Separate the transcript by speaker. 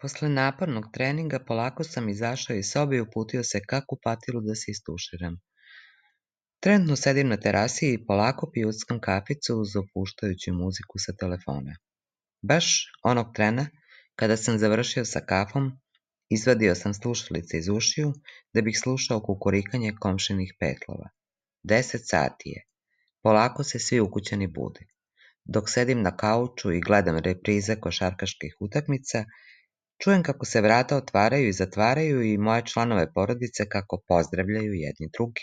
Speaker 1: Posle napornog treninga polako sam izašao iz sobe i uputio se ka kupatilu da se istuširam. Trenutno sedim na terasi i polako pijuckam kaficu uz opuštajuću muziku sa telefona. Baš onog trena, kada sam završio sa kafom, izvadio sam slušalice iz ušiju da bih slušao kukurikanje komšinih petlova. 10 sati je. Polako se svi ukućani bude. Dok sedim na kauču i gledam reprize košarkaških utakmica, čujem kako se vrata otvaraju i zatvaraju i moje članove porodice kako pozdravljaju jedni drugi.